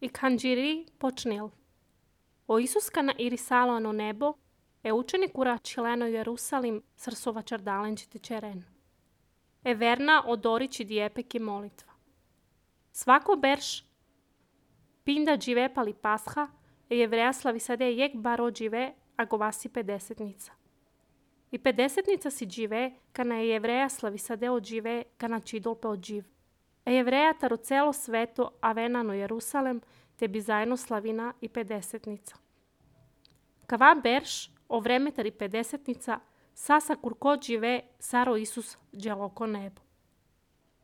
i kanjiri počnil. O Isus kana irisalo no nebo, e učenik ura čileno Jerusalim srsova čardalenčiti čeren. E verna odorići dijepeki molitva. Svako berš pinda džive pali pasha, e jevreja slavi sade jek baro džive, a govasi 50-nica. I 50-nica si džive, kana je jevreja slavi sade od džive, kana čidolpe od dživ. E jevreja taro celo sveto, a venano Jerusalem, te bi zajedno slavina i 50-nica. Kava berš, o vreme tari 50-nica, sasa kurko džive, saro Isus dželoko nebo.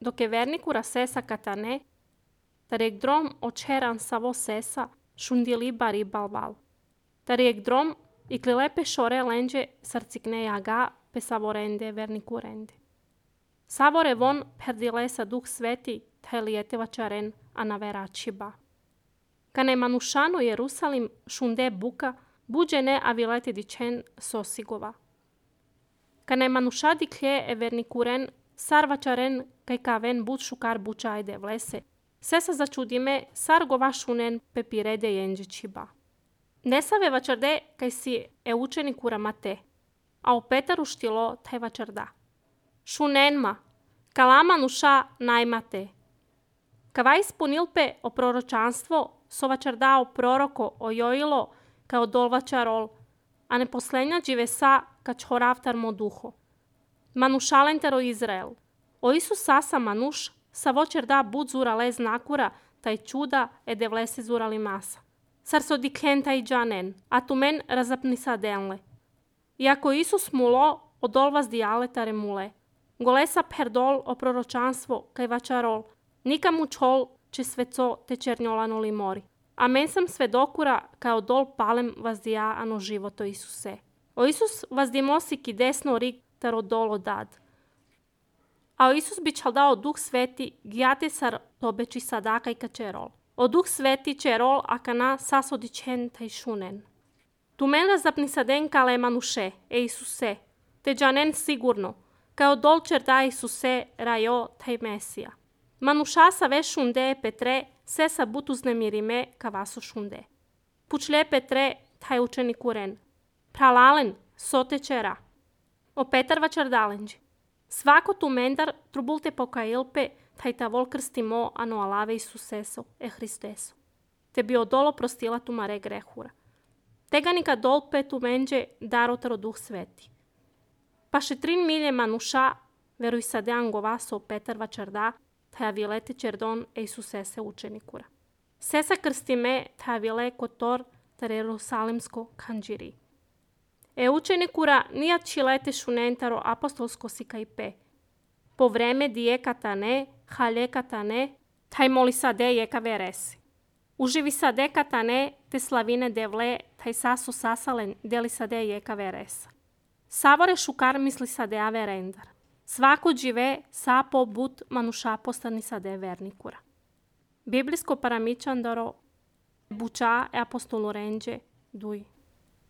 Dok je verniku rasesa katane, tarek drom očeran savo sesa, šundili bari balbal. Tarek drom i klilepe šore lenđe sarcikne jaga, pe savorende verniku rende. Savore von perdilesa duh sveti, taj lijeteva čaren, a naverači ba. Kane manušano Jerusalim šunde buka, buđene a vilete dičen sosigova. Kane manušadi klje e vernikuren, sarvačaren kaj kaven bud šukar bučajde vlese, sesa začudime sar gova šunen pepirede jenđeći ba. Nesave vačarde kaj si e učenik uramate, a o Petaru štilo taj vačarda. Šunenma, kalama nuša najmate. Kava ispunilpe o proročanstvo, so vačardao proroko o Joilo kao dolvačarol, a ne poslednja dživesa kač horavtar mo duho. Manušalentero Izrael. O Isus sasa manuš, sa vočarda bud zura lez nakura, taj čuda ede vlese zurali masa. Sar so dikhen taj džanen, a tu men razapni sadenle. Iako Isus mulo, odolvas dialetare mule. Golesa perdol o proročanstvo kaj vačarol, nikam učol če sveco te černjolano li mori. A men sam svedokura kao dol palem vas dija ano životo Isuse. O Isus vas dimosi ki desno rig taro dolo dad. A o Isus bi čal dao duh sveti gjate sar tobeči sadaka i kačerol. O duh sveti čerol akana sasodičen taj šunen. Tu men razapni saden kale manuše, e Isuse, te džanen sigurno, kao dol čerda Isuse rajo taj Mesija. Manuša sa ve šunde Petre, se sa but uznemirime kavaso šunde. Pučle Petre, taj učenik uren. Pralalen, sote čera. O Petar vačardalenđi. Svako tu mendar trubulte pokailpe, taj tavol krstimo ano alave Isuseso, e Hristeso. Te bi odolo prostila tu mare grehura. Tega nika dolpe tu menđe darotaro duh sveti. Pa še 3 milje manuša, veruj sa dean govaso Petar vačarda, taj vilete čerdon e Isusese učenikura. Sesa krstime taj vile kotor tar Jerusalimsko kanđiri. E učenikura nijat čilete šunentaro apostolsko sikajpe. Po vreme dije katane, halje katane, taj moli sade jeka veresi. Uživi sade katane, te slavine devle, taj saso sasalen deli sade jeka veresa. Savore šukar misli sade a verendar. Svako džive sapo but manuša postani sade vernikura. Biblijsko paramičandaro buča e apostolo renđe duj.